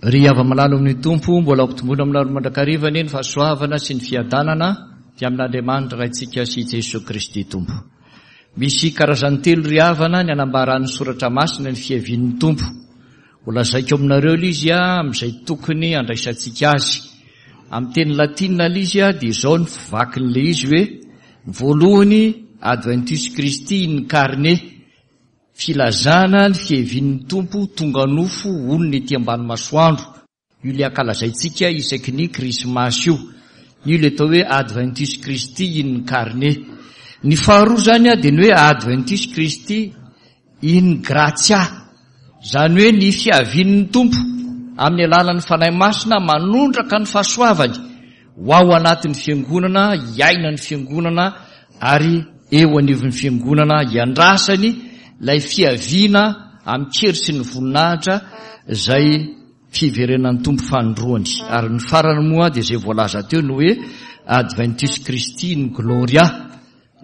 Ry hava-malala ao amin'ny Tompo, mbola ampitomboina aminareo mandrakariva anie ny fahasoavana sy ny fiadanana avy amin'Andriamanitra Raintsika sy Jesoa Kristy Tompo. Misy karazany telo ry havana ny anambaran'ny Soratra Masina ny fiavian'ny Tompo. Ho lazaiko aminareo ilay izy amin'izay tokony handraisantsika azy. Amin'ny teny latina ilay izy dia izao ny fivakin'ilay izy hoe, ny voalohany Adventus Christi incarné, Filazana ny fiavian'ny Tompo tonga nofo honina ety ambany masoandro, io ilay ankalazaintsika isaky ny Krismasy io, io ilay atao hoe Adventus Christi in carne. Ny faharoa izany dia ny hoe Adventus Christi in gratia, izany hoe ny fiavian'ny Tompo amin'ny alalan'ny Fanahy Masina manondraka ny fahasoavany ho ao anatin'ny Fiangonana, hiainan'ny Fiangonana ary eo anivon'ny Fiangonana hiandrasany ilay fiaviana amin-kery sy ny voninahitra izay fiverenan'ny Tompo fanindroany. Ary ny farany moa dia izay voalaza teo ny hoe Adventus Christi in Gloria,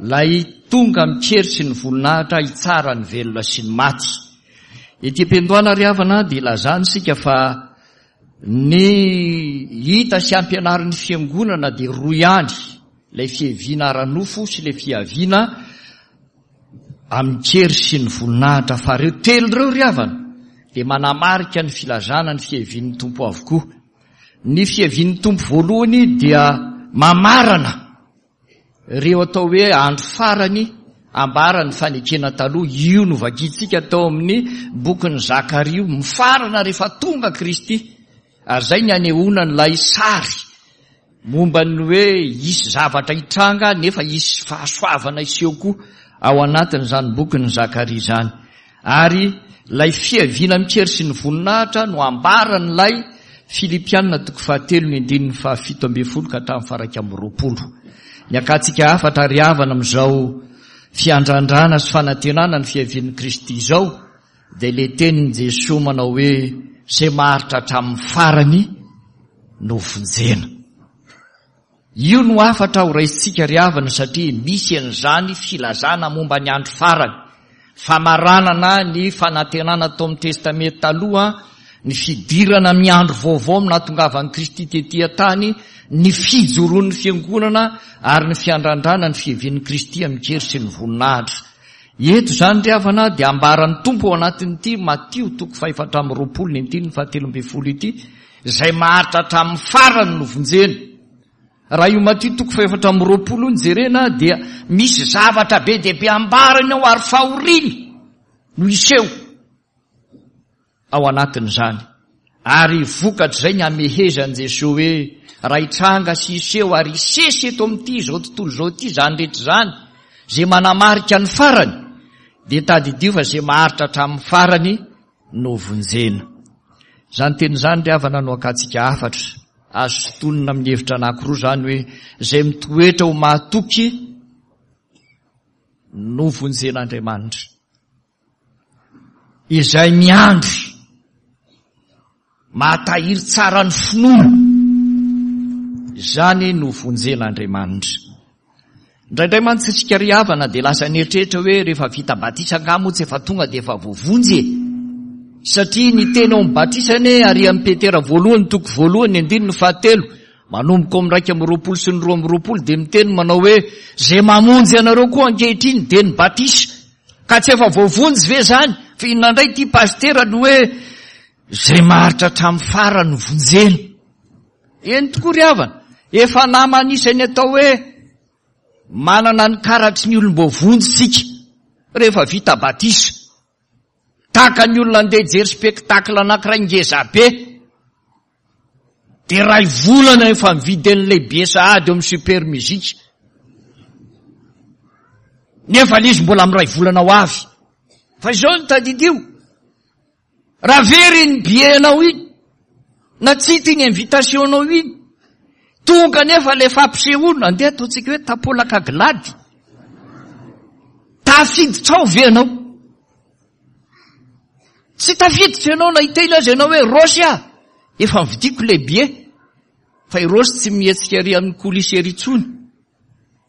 ilay tonga amin-kery sy ny voninahitra hitsara ny velona sy ny maty. Ety am-piandohana ry havana dia ilazana isika fa Ny hita sy ampianarin'ny Fiangonana dia roa ihany, ilay fiaviana ara-nofo sy ilay fiaviana amin-kery sy ny voninahitra. Fa ireo telo ireo ry havana dia manamarika ny filazana ny fiavian'ny Tompo avokoa. Ny fiavian'ny Tompo voalohany dia mamarana Ireo atao hoe andro farany ambaran'ny fanekena taloha, io novakintsika tao amin'ny bokin'i Zakaria io, mifarana rehefa tonga Kristy. Ary izay ny anehoana an'ilay sary momba ny hoe hisy zavatra hitranga nefa hisy fahasoavana hiseho koa ao anatin'izany bokin'i Zakaria izany. Ary ilay fiaviana amin-kery sy ny voninahitra no ambaran'ilay Filipiana toko fahatelo ny andininy fahafito ambin'ny folo ka hatramin'ny faha-21. Ny akantsika hafatra ry havana amin'izao fiandrandrana sy fanantenana ny fiavian'i Kristy izao dia ilay tenin'i Jesoa manao hoe izay maharitra hatramin'ny farany no vonjena. Io no hafatra ho raisintsika ry havana satria misy an'izany filazana momba ny andro farany, famaranana ny fanantenana tao amin'ny Testamenta Taloha, ny fidirana amin'ny andro vaovao amin'ny nahatongavan'i Kristy tety an-tany, ny fijoroan'ny Fiangonana ary ny fiandrandrana ny fiavian'i Kristy amin-kery sy ny voninahitra. Eto izany ry havana dia ambaran'ny Tompo ao anatin'ity Matio toko fahefatra amby 20 ny andininy fahatelo ambin'ny folo ity, Izay maharitra hatramin'ny farany no vonjena. Raha io Matio toko fahefatra amby 20 io no jerena dia misy zavatra be dia be ambarany ao ary fahoriana no hiseho ao anatin'izany. Ary vokatr'izay ny hamehezan'i Jesoa hoe raha hitranga sy hiseho ary hisesy eto amin'ity izao tontolo izao ity izany rehetra izany, izay manamarika ny farany, dia tadidio fa izay maharitra hatramin'ny farany no vonjena. Izany teny izany ry havana no akantsika hafatra. Azo sintonina amin'ny hevitra anankiroa izany hoe izay mitoetra ho mahatoky no vonjen'Andriamanitra. Izay miandry Mahatahiry tsara ny finoana. Izany no vonjen'Andriamanitra. Indraindray mantsy isika ry havana dia lasa nieritreritra hoe rehefa vita batisa angaha moa tsy efa tonga dia efa voavonjy e. Satria ny teny ao amin'ny batisa anie ary amin'ny Petera voalohany toko voalohany ny andininy fahatelo manomboka ao amin'ny 21 sy ny 22 dia miteny manao hoe izay mamonjy anareo koa ankehitriny dia ny batisa. Ka tsy efa voavonjy ve izany? Fa inona indray ity pasitera no hoe izay maharitra hatramin'ny farany no vonjena? Eny tokoa ry havana, efa namana isan'ny atao hoe manana ny karatry ny olom-boavonjy isika rehefa vita batisa. Tahaka ny olona andeha hijery spectacle anankiray ngeza be. Dia iray volana efa mividy an'ilay billet sahady eo amin'ny super musique. Nefa ilay izy mbola amin'ny iray volana ho avy. Fa izao no tadidio. Raha very iny billet anao iny, na tsy hita iny invitation anao iny, tonga nefa ilay fampisehoana, andeha ataontsika hoe tapolaka glady. Tafiditra ao ve ianao? Tsy tafiditra ianao na hiteny aza ianao hoe Rossy ah! Efa nividiako ilay billet. Fa i Rossy tsy mihetsika ery amin'ny coulisse ery intsony.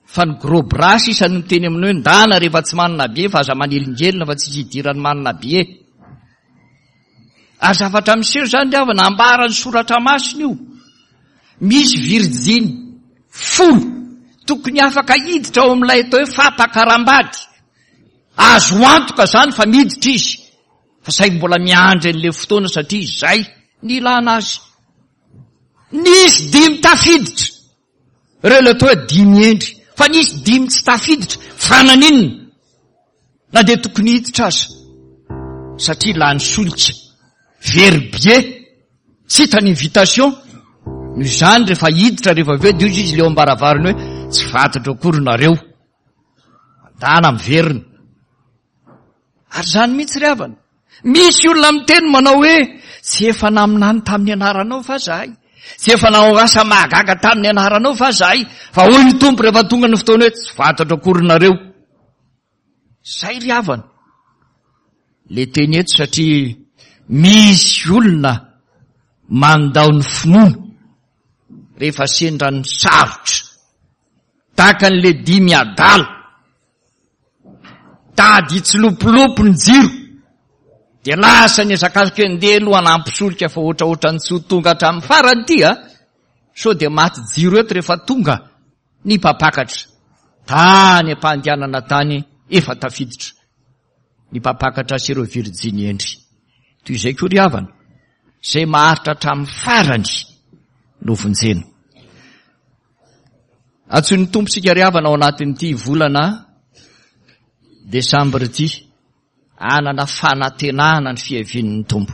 Fa ny gros bras sisa no miteny aminao hoe ndana rehefa tsy manana billet fa aza manelingelina fa tsisy idiran'ny manana billet. Ary zavatra miseho izany ry havana, ambaran'ny soratra masina io. Misy virjiny folo tokony afaka hiditra ao amin'ilay atao hoe fampakaram-bady. Azo antoka izany fa miditra izy. Fa saingy mbola miandry an'ilay fotoana satria izay ny ilana azy. Nisy dimy tafiditra. Ireo ilay atao hoe dimy hendry. Fa nisy dimy tsy tafiditra. Fa naninona? Na dia tokony hiditra aza. Satria lany solika. Very billet. Tsy hita ny invitation. Noho izany rehefa hiditra rehefa avy eo dia hoy izy ilay eo am-baravarana hoe tsy fantatro akory nareo. Mandana miverina. Ary izany mihitsy ry havana. Misy olona miteny manao hoe, tsy efa naminany tamin'ny anaranao va zahay? Tsy efa nanao asa mahagaga tamin'ny anaranao va zahay? Fa hoy ny Tompo rehefa tonga ny fotoana hoe, tsy fantatro akory nareo. Zay ry havana. Le teny eto satria misy olona mandao ny finoana rehefa sendra ny sarotra. Tahaka an'le dimy adala. Tady hitsilopilopy ny jiro dia lasa niazakazaka hoe ndeha aloha hanampy solika fa ohatraohatran'ny tsy ho tonga hatramin'ny farany ity a! Sao dia maty jiro eto rehefa tonga ny mpampakatra. Tany am-pandehanana tany efa tafiditra ny mpampakatra sy ireo virjiny hendry. Toy izay koa ry havana, izay maharitra hatramin'ny farany no vonjena. Antsoin'ny Tompo isika ry havana ao anatin'ity volana desambra ity hanana fanantenana ny fiavian'ny Tompo.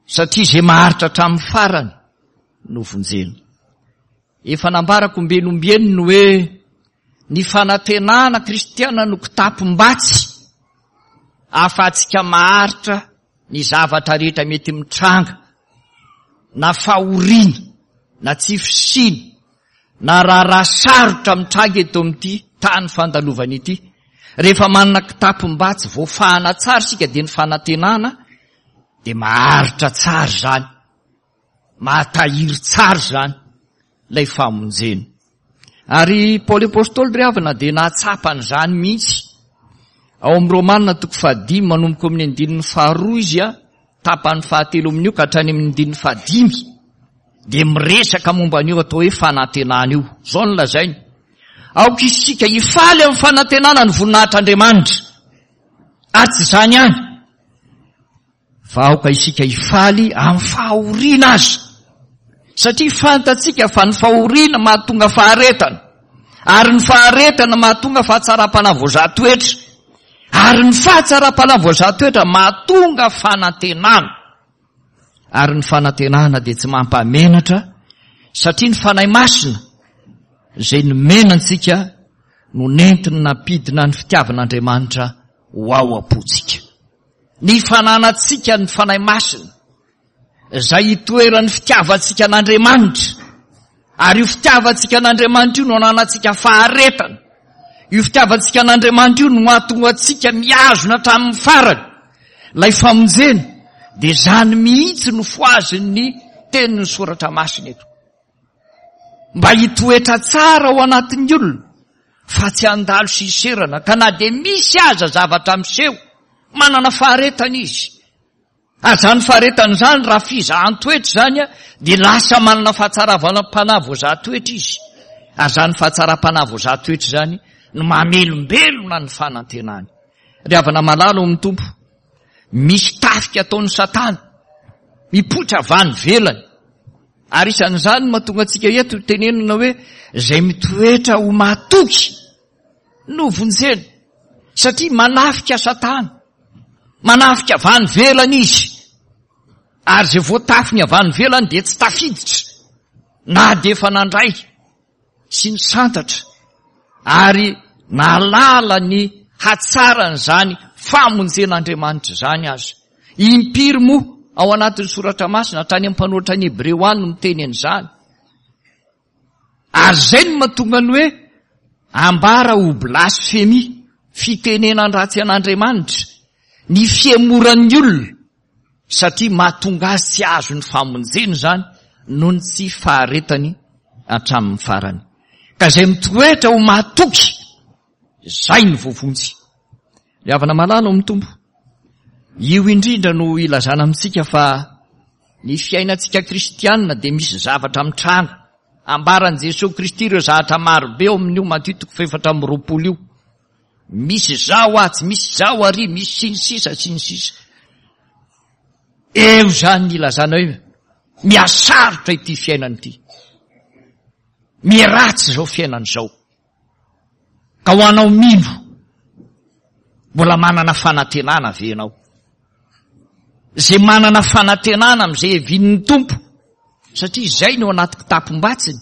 Satria izay maharitra hatramin'ny farany no vonjena. Efa nambarako ombieny ombieny ny hoe ny fanantenana kristiana no kitapom-batsy ahafahantsika maharitra ny zavatra rehetra mety mitranga, na fahoriana, na tsy fisiana, na raharaha sarotra mitranga eto amin'ity tany fandalovana ity, rehefa manana kitapom-batsy voafahana tsara isika dia ny fanantenana dia maharitra tsara izany. Mahatahiry tsara izany ilay famonjena. Ary Paoly Apostoly ry havana dia nahatsapa an'izany mihitsy. Ao amin'ny Romana toko fahadimy manomboka amin'ny andininy faharoa izy a, tapany fahatelo amin'io ka hatrany amin'ny andininy fahadimy dia miresaka momba an'io atao hoe fanantenana io. Izao no lazainy. Aoka isika hifaly amin'ny fanantenana ny voninahitr'Andriamanitra. Ary tsy izany ihany. Fa aoka isika hifaly amin'ny fahoriana aza, satria fantatsika fa ny fahoriana mahatonga faharetana, ary ny faharetana mahatonga fahatsaram-panahy voazaha toetra, ary ny fahatsaram-panahy voazaha toetra mahatonga fanantenana. Ary ny fanantenana dia tsy mampamenatra, satria ny Fanahy Masina izay nomena antsika no nentiny nampidina ny fitiavan'Andriamanitra ho ao am-pontsika. Ny fananantsika ny Fanahy Masina, izay itoeran'ny fitiavantsika an'Andriamanitra, ary io fitiavantsika an'Andriamanitra io no ananantsika faharetana, io fitiavantsika an'Andriamanitra io no mahatonga antsika mihazona hatramin'ny farany ilay famonjena, dia izany mihitsy no fohazin'ny tenin'ny Soratra Masina eto. Mba hitoetra tsara ao anatin'ny olona fa tsy handalo sy hiserana ka na dia misy aza zavatra miseho, manana faharetana izy. Ary izany faharetana izany raha fizahan-toetra izany dia lasa manana fahatsaram-panahy voazaha toetra izy. Ary izany fahatsaram-panahy voazaha toetra izany no mamelombelona ny fanantenany. Ry havana malala ao amin'ny Tompo, misy tafika ataon'i Satana mipoitra avy any ivelany. Ary isan'izany no mahatonga antsika eto tenenina hoe izay mitoetra ho mahatoky no vonjena satria manafika satana, manafika avy any ivelany izy ary izay voatafiny avy any ivelany dia tsy tafiditra na dia efa nandray sy nisantatra ary nahalala ny hatsaran'izany famonjen'Andriamanitra izany aza. Impiry moa ao anatin'ny soratra masina hatrany amin'ny mpanoratra ny Hebreo any no miteny an'izany. Ary izay no mahatonga ny hoe ambara ho blasfemia, fitenenan-dratsy an'Andriamanitra, ny fihemoran'ny olona satria mahatonga azy tsy hahazo ny famonjena izany noho ny tsy faharetany hatramin'ny farany. Ka izay mitoetra ho mahatoky, izay no voavonjy. Ry havana malala ao amin'ny Tompo. Io indrindra no ilazana amintsika fa ny fiainantsika kristianina dia misy zavatra mitranga. Ambaran'i Jesoa Kristy ireo zavatra marobe ao amin'io Matio toko fahefatra amby 20 io. Misy izao atsy, misy izao ary, misy sy ny sisa sy ny sisa. Eo izany ny ilazana hoe mihasarotra ity fiainana ity. Miharatsy izao fiainana izao. Ka ho anao mino, mbola manana fanantenana ve ianao? Izay manana fanantenana amin'izay hevinin'ny Tompo, satria izay no anaty kitapom-batsiny,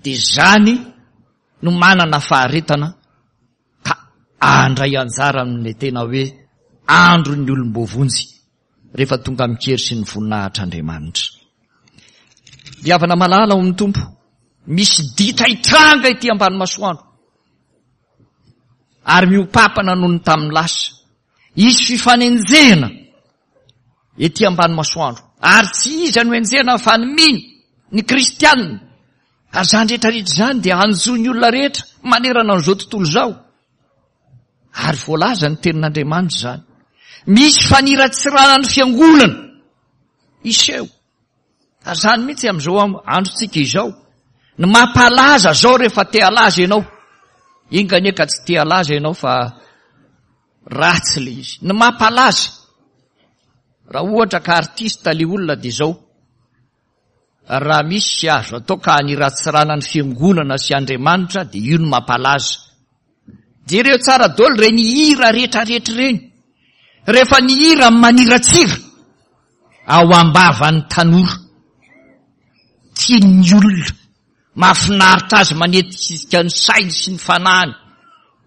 dia izany no manana faharetana ka handray anjara amin'ilay tena hoe andron'ny olom-boavonjy rehefa tonga amin-kery sy ny voninahitr'Andriamanitra. Ry havana malala ao amin'ny Tompo, misy ditra hitranga ety ambany masoandro ary miopapana noho ny tamin'ny lasa. Hisy fifanenjehana ety ambany masoandro ary tsy iza no enjehana fa ny mino, ny kristianina. Ary izany rehetra rehetra izany dia hanjo ny olona rehetra manerana an'izao tontolo izao. Ary voalaza ny tenin'Andriamanitra izany. Misy faniratsirana ny fiangonana hiseho. Ary izany mihitsy amin'izao androntsika izao. Ny mampalaza izao rehefa te halaza ianao. Enga anie ka tsy te halaza ianao fa ratsy le izy. Ny mampalaza. Raha ohatra ka artiste le olona dia izao. Raha misy azo atao ka haniratsirana ny fiangonana sy Andriamanitra dia io no mampalaza. Jereo tsara daholo ireny hira rehetrarehetra ireny. Rehefa ny hira maniratsira ao am-bavan'ny tanora, tian'ny olona, mahafinaritra azy manetsika ny sainy sy ny fanahiny.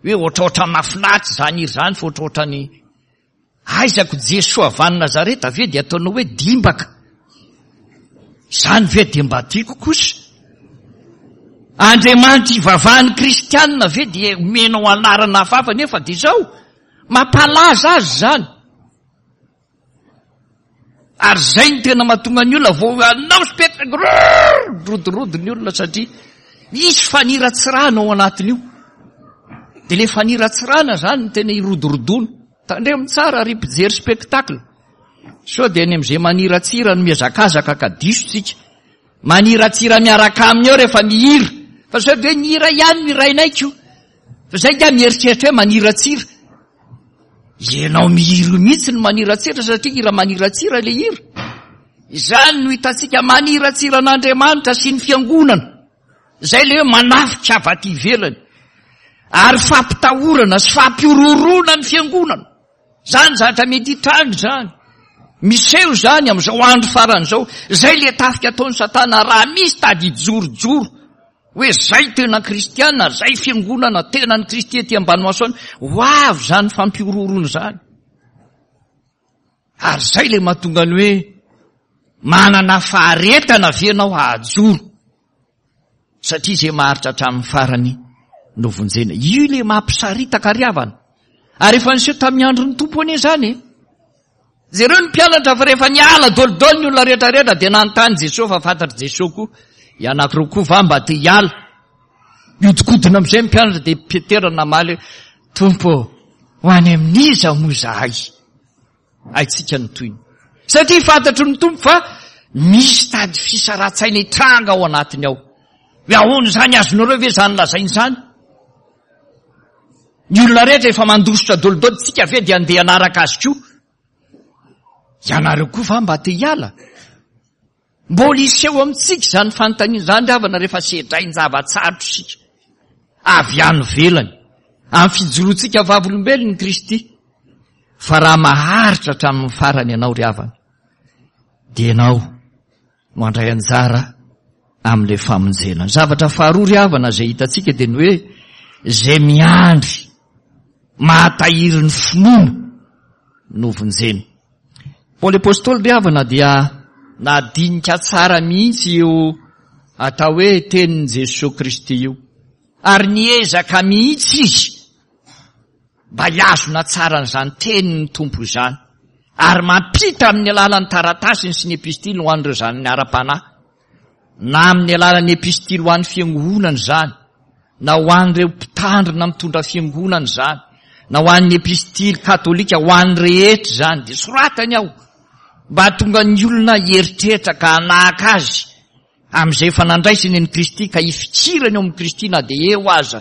Hoe ohatraohatran'ny mahafinaritra izany hira izany fa ohatraohatran'ny Aiza ko Jesoa avy any Nazareta ve dia ataonao hoe dimbaka? Izany ve dia mba tiako kosa? Andriamanitra ivavahan'ny kristianina ve dia omenao anarana hafahafa nefa dia izao? Mampalaza azy izany. Ary izay no tena mahatonga ny olona vao hanao spectacle, rodorodo ny olona satria misy faniratsirana ao anatin'io. Dia ilay faniratsirana izany no tena irodorodoana. Tandremo tsara ry mpijery spectacle. Sao dia any amin'izay maniratsira no mihazakazaka ka diso tsika. Maniratsira miaraka aminy eo rehefa mihira. Fa sao dia hoe ny hira ihany no hirainay ko. Fa zay nga mieritreritra hoe maniratsira. Ianao mihira io mihitsy no maniratsira satria hira maniratsira le hira. Izany no hitantsika maniratsira an'Andriamanitra sy ny fiangonana. Izay le hoe manafika avy aty ivelany. Ary fampitahorana sy fampihorohoroana ny fiangonana. Izany zavatra mety hitranga izany. Miseho izany amin'izao andro farany izao. Izay le tafika ataon'i Satana raha misy tady hijorojoro hoe zay tena kristiana, zay fiangonana tena an'i Kristy ety ambany masoandro, ho avy izany fampihorohoroana izany. Ary izay le mahatonga ny hoe manana faharetana ve ianao hahajoro? Satria izay maharitra hatramin'ny farany no vonjena. Io le mampisaritaka ry havana. Ary efa niseho tamin'ny andron'ny Tompo anie izany e. Jereo ny mpianatra fa rehefa niala dolidoly ny olona rehetra rehetra dia nanontany Jesoa fa fantatr'i Jesoa koa, ianareo koa va mba te hiala? Nihodinkodina amin'izay ny mpianatra dia Petera namaly hoe, Tompo ô, ho any amin'iza moa izahay? Haintsika ny tohiny. Satria fantatry ny Tompo fa misy tady fisarahan-tsaina hitranga ao anatiny ao. Hoe ahoana izany, azonareo ve izany lazaina izany? Ny olona rehetra efa mandositra dolidoly, tsika ve dia andeha hanaraka azy koa? Ianareo koa va mba te hiala? Mbola hiseho amintsika izany fanontaniana izany ry havana rehefa sedrain-java-tsarotra isika avy any ivelany, amin'ny fijoroantsika vavolombelon'i Kristy. Fa raha maharitra hatramin'ny farany ianao ry havana, dia ianao no handray anjara amin'ilay famonjena. Ny zavatra faharoa ry havana izay hitantsika dia ny hoe izay miandry mahatahiry ny finoana no vonjena. Paoly Apostoly ry havana dia nadinika tsara mihitsy io atao hoe tenin'i Jesoa Kristy io. Ary niezaka mihitsy izy mba hihazona tsara an'izany tenin'ny Tompo izany. Ary mampita amin'ny alalan'ny taratasiny sy ny epistily ho an'ireo zanany ara-panahy, na amin'ny alalan'ny epistily ho an'ny fiangonana izany, na ho an'ireo mpitandrina mitondra fiangonana izany, na ho an'ny epistily katolika, ho an'ny rehetra izany, dia soratany ao mba hahatonga ny olona hieritreritra ka hanahaka azy amin'izay efa nandraisany an'i Kristy ka hifikirany ao amin'i Kristy na dia eo aza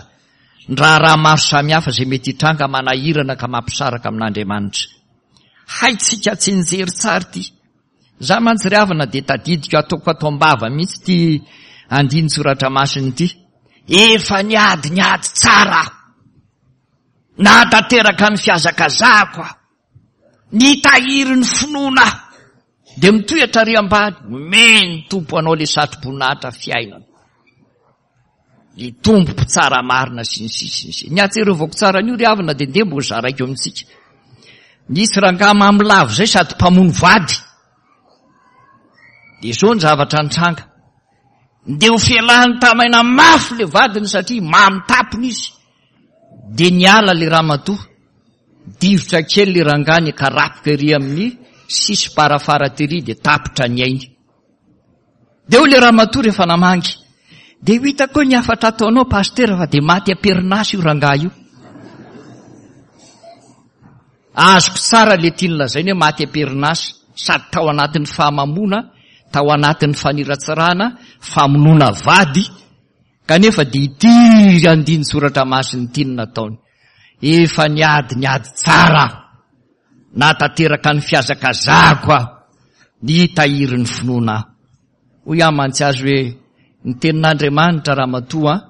ny raharaha maro samihafa izay mety hitranga manahirana ka mampisaraka amin'Andriamanitra. Haintsika tsinjery tsara ity. Za mantsy ry havana dia tadidiko ataoko ato am-bava mihitsy ity andinin-tsoratra masina ity. Efa niady ny ady tsara aho. Nahatanteraka ny fihazakazahako aho. Nitahiry ny finoana aho. Dia mitohy hatrary ambany, omen'ny Tompo anao ilay satroboninahitra fiainana. Ny Tompo mpitsara marina sy ny sisa sy ny sisa. Ny ahatsiarovako tsara an'io ry havana dia ndeha mbo zaraiko amintsika. Nisy rangahy mamy lava izay sady mpamono vady. Dia izao ny zavatra nitranga. Ndeha ho fialany tamaina mafy le vadiny satria mamy tapony izy. Dia niala le ramatoa. Divotra kely le rangahy nikarapoka ery amin'ny sisim-parafara tery dia tapitra ny ainy. Dia hoy le ramatoa rehefa namangy, dia ho hitako eo ny hafatra ataonao pasitera fa dia maty am-perinasa io rangahy io. Azoko tsara le tiany lazaina hoe maty am-perinasa, sady tao anatin'ny fahamamoana, tao anatin'ny faniratsirana, famonoana vady, kanefa dia ity andinin-tsoratra masina ity no nataony. Efa niady ny ady tsara aho. Nahatanteraka ny fihazakazahako aho, nitahiry ny finoana aho. Hoy aho mantsy azy hoe, ny tenin'Andriamanitra ramatoa an,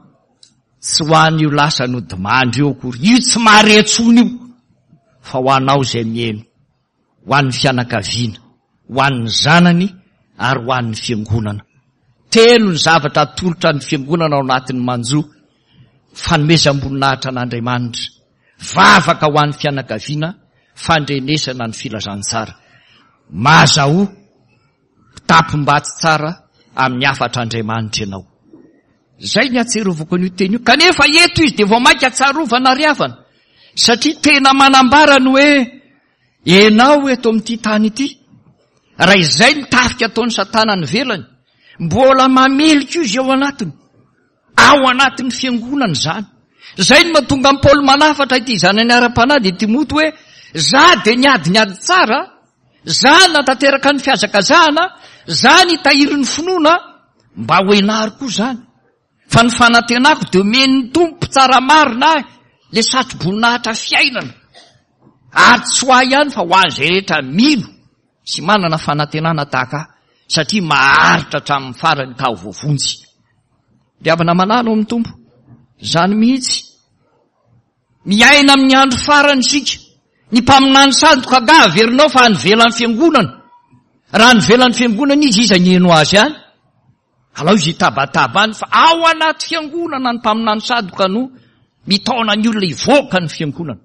tsy ho an'io lasa nodimandry io akory, io tsy mahare intsony io, fa ho anao izay miheno, ho an'ny fianakaviana, ho an'ny zanany ary ho an'ny fiangonana. Telo ny zavatra atolotra ny fiangonana ao anatin'ny manjo, fanomezam-boninahitra an'Andriamanitra, Vavaka ho an'ny fianakaviana fandrenesana ny filazantsara. Mazahoa mpitapom-batsy tsara amin'ny hafatr'Andriamanitra ianao. Izay ny ahatsiarovako an'io teny io. Kanefa eto izy dia vao mainka tsarovana ry havana. Satria tena manambara ny hoe ianao eto amin'ity tany ity. Raha izay ny tafika ataon'i Satana any ivelany, mbola mamely koa izy ao anatiny. Ao anatin'ny fiangonana izany. Izay no mahatonga an'i Paoly manafatra ity zanany ara-panahy dia Timoty hoe, Za dia niady ny ady tsara, za natanteraka ny fihazakazahana, za nitahiry ny finoana, mba ho enaro koa izany. Fa ny fanantenako dia omen'ny Tompo mpitsara marina ahy le satroboninahitra fiainana. Ary tsy ho ahy ihany fa ho an'izay rehetra mino sy manana fanantenana tahaka ahy, satria maharitra hatramin'ny farany ka ho voavonjy. Ry havana malala ao amin'ny Tompo, izany mihitsy. Miaina amin'ny andro farany isika. Ny mpaminany sandoka angaha averinao fa any ivelan'ny fiangonana. Raha any ivelan'ny fiangonana izy, iza ny heno azy any? Alao izy hitabataba any fa ao anaty fiangonana ny mpaminany sandoka no mitaona ny olona hivoaka ny fiangonana.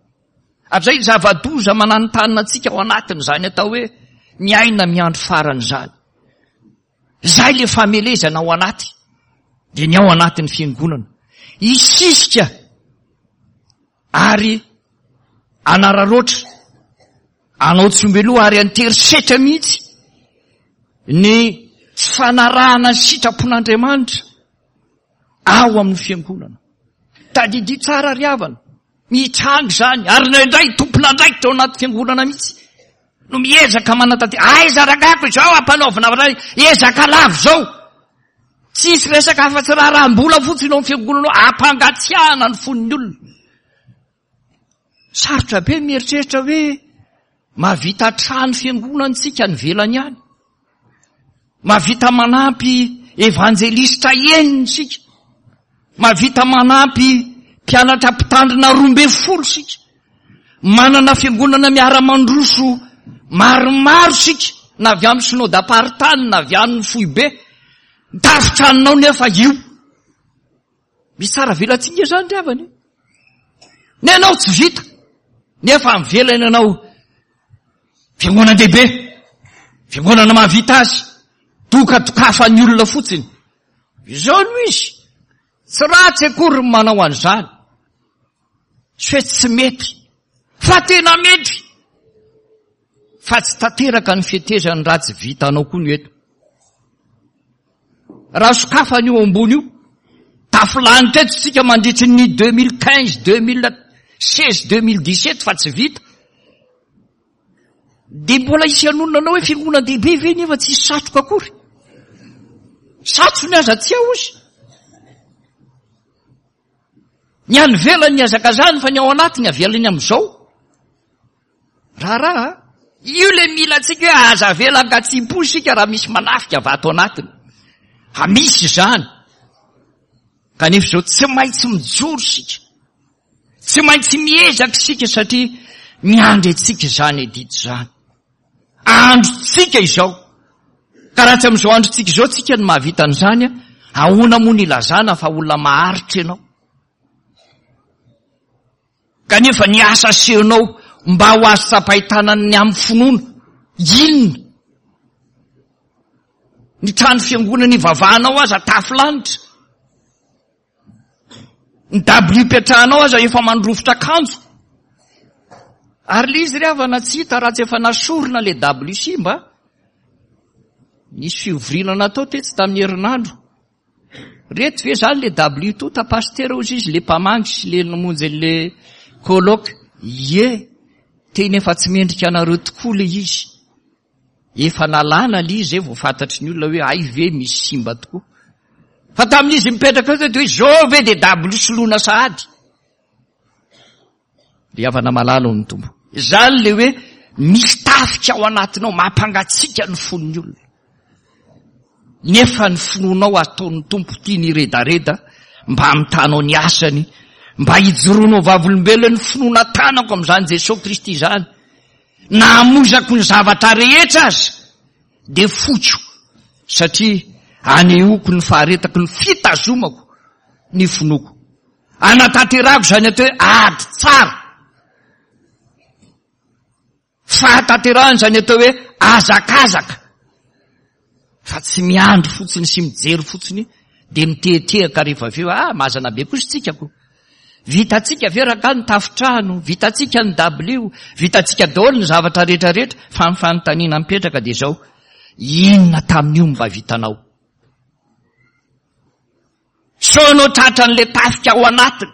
Ary izay zava-doza mananontanona antsika ao anatin'izany atao hoe miaina miandro farany izany. Izay le famelezana ao anaty, dia ny ao anatin'ny fiangonana. Hisisika ary anararaotra, anao tsy omby loha ary anterisetra mihitsy ny tsy fanarahana ny sitrapon'Andriamanitra ao amin'ny fiangonana. Tadidio tsara ry havana. Mitranga izany, ary indraindray tompon'andraikitra ao anaty fiangonana mihitsy no miezaka manatanteraka. Aiza rangahako izao ampanaovina iray ezaka lava izao. Tsisy resaka afa-tsy raharaham-bola fotsiny ao amin'ny fiangonana ao, ampangatsiahana ny fon'ny olona. Sarotra be ny mieritreritra hoe mahavita trano fiangonana isika any ivelany any. Mahavita manampy evanjelistra enina isika. Mahavita manampy mpianatra mpitandrina 12 isika. Manana fiangonana miara-mandroso maromaro isika, na avy amin'ny synodam-paritany na avy amin'ny foibe. Ny tafon-tranonao nefa io. Misy tsara velatsihy izany ry havana e. Ny anao tsy vita, nefa mivelana ianao. Fiangonan-dehibe, fiangonana mahavita azy, dokadokafan'ny olona fotsiny. Izao no izy, tsy ratsy akory ny manao an'izany. Tsy hoe tsy mety, fa tena mety. Fa tsy tanteraka ny fetezany raha tsy vitanao koa ny eto. Raha sokafana io ambony io, tafilanitra eto isika mandritry ny 2015, 2000. 16 2017 fa tsy vita. Dia mbola hisy hanonona anao hoe fiangonan-dehibe ve nefa tsisy satroka akory? Satrony aza tsy ao ozy. Ny any ivelany nihazakazahany fa ny ao anatiny avelany amin'izao. Raharaha a! Io le mila antsika hoe aza avela ankatsiam-po isika raha misy manafika avy ato anatiny. Ha misy izany. Kanefa izao tsy maintsy mijoro isika. Tsy maintsy miezaka isika satria miandry antsika izany adidy izany. Androntsika izao. Ka raha tsy amin'izao androntsika izao tsika no mahavita an'izany, ahoana moa ny ilazana fa olona maharitra ianao? Kanefa ny asa asehonao mba ho azo tsapain-tanana ny amin'ny finoana, inona? Ny trano fiangonana ivavahanao aza tafo lanitra. Ny dabilio ipetrahanao aza efa mandrovitra akanjo. Ary le izy ry havana tsy hita raha tsy efa nasorina le dabilio simba. Nisy fivoriana natao tetsy tamin'ny herinandro. Reto ve zany le dabilio tota pasitera ozy izy le mpamangy sy le namonjy an'le colloque. Ie, tena efa tsy mendrika anareo tokoa le izy. Efa nalana le izy zay vao fantatry ny olona hoe hay ve misy simba tokoa. Fa tamin'izy mipetraka eo dia hoe zao ve dia dabilio soloina sahady. Ry havana malala ao ny Tompo. Izany le hoe misy tafika ao anatinao mampangatsiaka ny fon'ny olona. Nefa ny finoanao ataon'ny Tompo tiany hiredareda mba hamitanao ny asany, mba hijoroanao vavolombelona ny finoana tanako amin'izany Jesoa Kristy izany. Na hamoizako ny zavatra rehetra aza dia foiko satria anehoako ny faharetako ny fitazomako ny finoako. Anatanterahako izany atao hoe ady tsara. Fahatanterahana izany atao hoe hazakazaka. Fa tsy miandry fotsiny sy mijery fotsiny dia mitehatehaka rehefa avy eo, ah mazana be kosa tsika ko. Vitantsika ve rangahy ny tafotrano, vitantsika ny dabilio, vitantsika daholo ny zavatra rehetra rehetra, fa ny fanontaniana mipetraka dia izao, inona tamin'io no mba vitanao? Sao ianao tratran'ilay tafika ao anatiny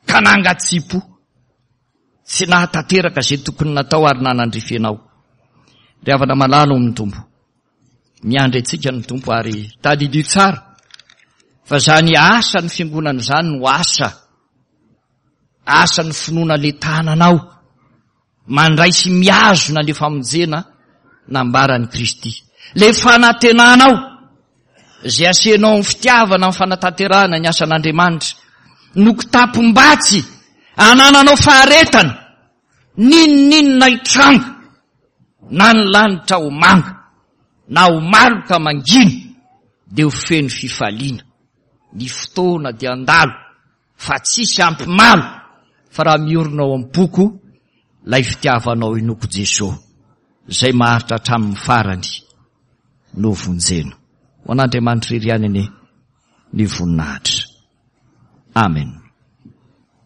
ka nangatsiam-po. Tsy nahatanteraka izay tokony natao ary nanandrify anao. Ry havana malala ao amin'ny Tompo, miandry antsika ny Tompo ary tadidio tsara fa izany asan'ny fiangonana izany no asa, asan'ny finoana le tananao. Mandray sy mihazona le famonjena nambaran'i Kristy. Le fanantenanao izay asehinao amin'ny fitiavana amin'ny fanatanterahana ny asan'Andriamanitra no kitapom-batsy anananao faharetana n'inon'inona hitranga na ny lanitra ho manga na ho maloka mangina dia ho feno fifaliana. Ny fotoana dia handalo Fa tsisy ampimalo fa raha miorina ao am-poko lay fitiavanao inoko Jeso zay maharitra hatramin'ny farany no vonjena. Ho an'Andriamanitra irery ihany anie ny voninahitra. Amen.